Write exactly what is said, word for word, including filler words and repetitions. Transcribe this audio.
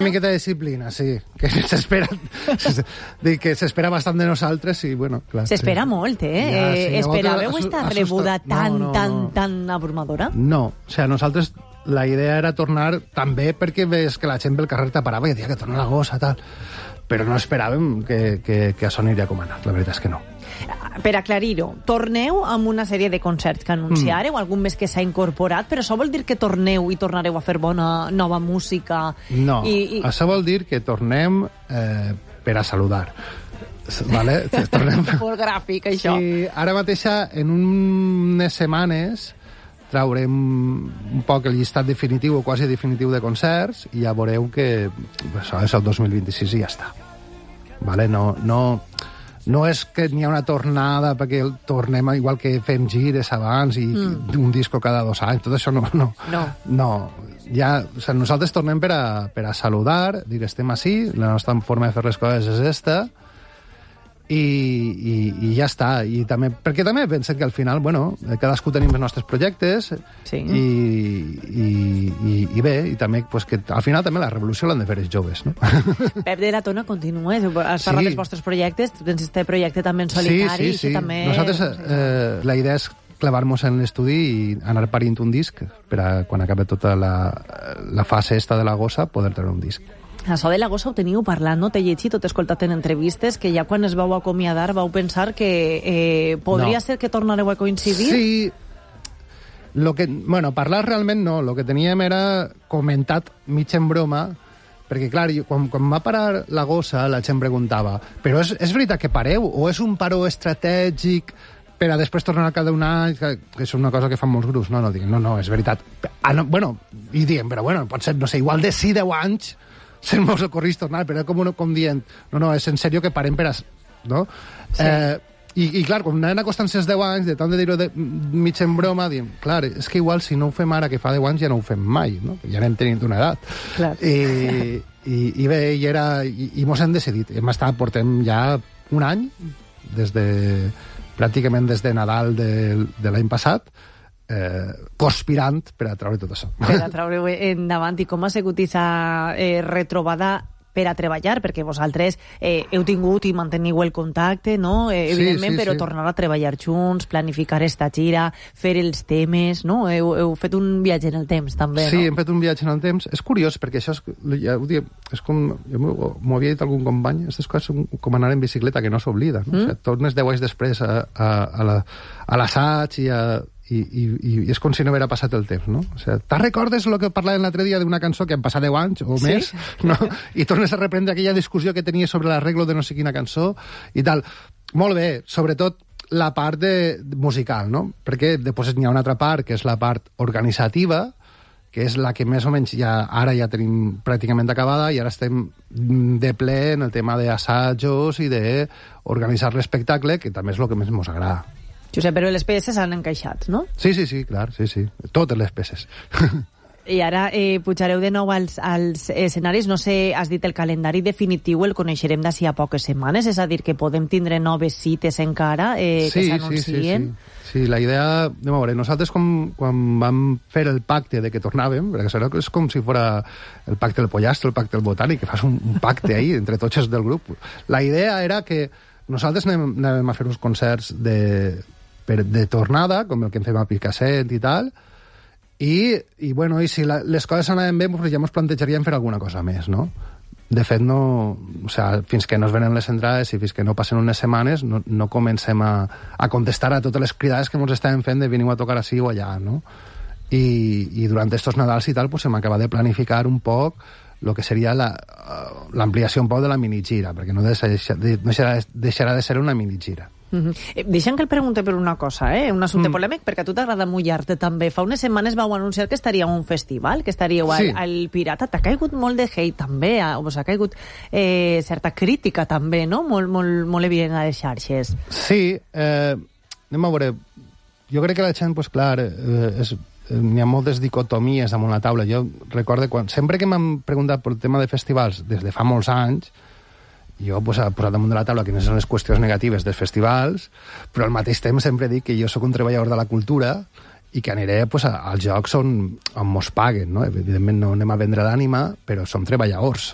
Una miqueta de disciplina, sí, que s'espera que s'espera bastant de nosaltres i, bueno, clar... S'espera sí. molt, eh? Ja, sí, eh Esperàveu volta, esta assusta... rebuda tan, no, no, tan, no. tan abrumadora? No, o sigui, nosaltres la idea era tornar també perquè ves que la gent pel carrer t'aparava i deia que torna la gossa, tal, però no esperàvem que, que, que això aniria com ha anat, la veritat és que no. Per aclarir-ho, torneu amb una sèrie de concerts que anunciareu, mm. algun més que s'ha incorporat, però això vol dir que torneu i tornareu a fer bona nova música? No, i, i... això vol dir que tornem eh, per a saludar. Vale? Tornem... Molt gràfic, això. Sí, ara mateixa, en unes setmanes, traurem un poc el llistat definitiu o quasi definitiu de concerts i ja veureu que això és el dos mil vint-i-sis i ja està. Vale? No... no No és que n'hi ha una tornada perquè tornem igual que fem gires abans i mm. un disco cada dos anys, tot això no. No. no. no. Ja, o sigui, nosaltres tornem per a, per a saludar, dir estem així, la nostra forma de fer les coses és esta, i, i, i ja està. I també, perquè també pensem que al final, bueno, cadascú tenim els nostres projectes, sí. i, i, i, i bé, i també pues, que al final també la revolució l'han de fer els joves, no? Pep de la Tona continua, has parlat sí. dels vostres projectes, tens este projecte també en solitari, sí, sí, sí. també... Nosaltres, eh, la idea és clavar-nos en l'estudi i anar parint un disc per a, quan acabi tota la, la fase esta de la gossa, poder treure un disc. Això de la gossa ho teniu parlant, no? T'he llegit o t'he escoltat en entrevistes que ja quan es vau acomiadar vau pensar que eh, podria no. ser que tornareu a coincidir? Sí. Lo que, bueno, parlar realment no. Lo que teníem era comentat mig en broma, perquè, clar, jo, quan, quan va parar la gossa, la gent preguntava però és, és veritat que pareu? O és un paró estratègic per a després tornar al cap d'un any, que, que és una cosa que fan molts grups? No, no, diguem, no, no, és veritat. Ah, no, bueno, i diem, però bueno, pot ser, no sé, igual de sí deu anys se'n mos ocorrís tornar, però com, com dient, no, no, és en sèrio que parem per a... No? Sí. Eh, i, I, clar, quan anaven acostant els deu anys, de tant de dir-ho de, mig en broma, diem, clar, és que igual si no ho fem ara que fa deu anys ja no ho fem mai, no? Ja anem tenint una edat. Clar. I, i, i bé, i, era, i, i mos hem decidit. Hem estat, portem ja un any, des de, pràcticament des de Nadal de, de l'any passat, Eh, conspirant per a treure tot això. Per a treure endavant. I com ha sigut aquesta eh, retrobada per a treballar? Perquè vosaltres eh, heu tingut i manteniu el contacte, no? Eh, evidentment, sí, sí, però sí. Tornar a treballar junts, planificar esta gira, fer els temes, no? Heu, heu fet un viatge en el temps, també, sí, no? Sí, hem fet un viatge en el temps. És curiós, perquè això és, ja ho dic, és com... M'ho havia dit algun company, aquestes coses són com anar en bicicleta, que no s'oblida, no? Mm? O sigui, tornes deu anys després a, a, a, la, a l'assaig i a... I, i, i és com si no haguera passat el temps, no? O sigui, te'n recordes el que parlàvem l'altre dia d'una cançó que han passat deu anys o sí? més, no? I tornes a reprendre aquella discussió que tenies sobre l'arreglo de no sé quina cançó i tal. Molt bé, sobretot la part de, musical, no? Perquè després n'hi ha una altra part, que és la part organitzativa, que és la que més o menys ja, ara ja tenim pràcticament acabada i ara estem de ple en el tema d'assajos i d'organitzar l'espectacle, que també és el que més ens agrada. Josep, però les peces s'han encaixat, no? Sí, sí, sí, clar, sí, sí. Totes les peces. I ara eh, pujareu de nou als, als escenaris. No sé, has dit el calendari definitiu el coneixerem d'ací a poques setmanes, és a dir, que podem tindre noves cites encara eh, sí, que s'anuncien. Sí, sí, sí. Sí, la idea... De veure, nosaltres com, quan vam fer el pacte de que tornàvem, perquè això és com si fos el pacte del pollastre, el pacte del botànic, que fas un, un pacte ahí entre tots els del grup. La idea era que nosaltres anàvem, anàvem a fer uns concerts de... Per, de tornada, com el que en fem a Picassent i tal, i, i, bueno, i si la, les coses anaven bé, doncs ja ens plantejaríem fer alguna cosa més, no? De fet, no... O sigui, fins que no es venen les entrades i fins que no passen unes setmanes, no, no comencem a, a contestar a totes les cridades que ens estàvem fent de veniu a tocar així o allà, no? I, i durant estos Nadals i tal, pues, hem acabat de planificar un poc el que seria l'ampliació un poc de la minigira, perquè no deixarà, deixarà, deixarà de ser una minigira. Mm-hmm. Deixa'm que el pregunte per una cosa, eh? Un assumpte mm. polèmic, perquè a tu t'agrada mullar-te també. Fa unes setmanes vau anunciar que estaríeu a un festival, que estaríeu al, sí. al Pirata. T'ha caigut molt de hate també, o s'ha caigut eh, certa crítica també, no? Molt, molt, molt evident a les xarxes. Sí, eh, anem a veure. Jo crec que la gent, pues, clar, eh, és, n'hi ha moltes dicotomies damunt la taula. Jo recordo quan... Sempre que m'han preguntat pel tema de festivals, des de fa molts anys, jo pues, he posat damunt de la taula quines són les qüestions negatives dels festivals, però al mateix temps sempre dic que jo sóc un treballador de la cultura i que aniré pues, a, als jocs on, on mos paguen, no? Evidentment no anem a vendre l'ànima, però som treballadors.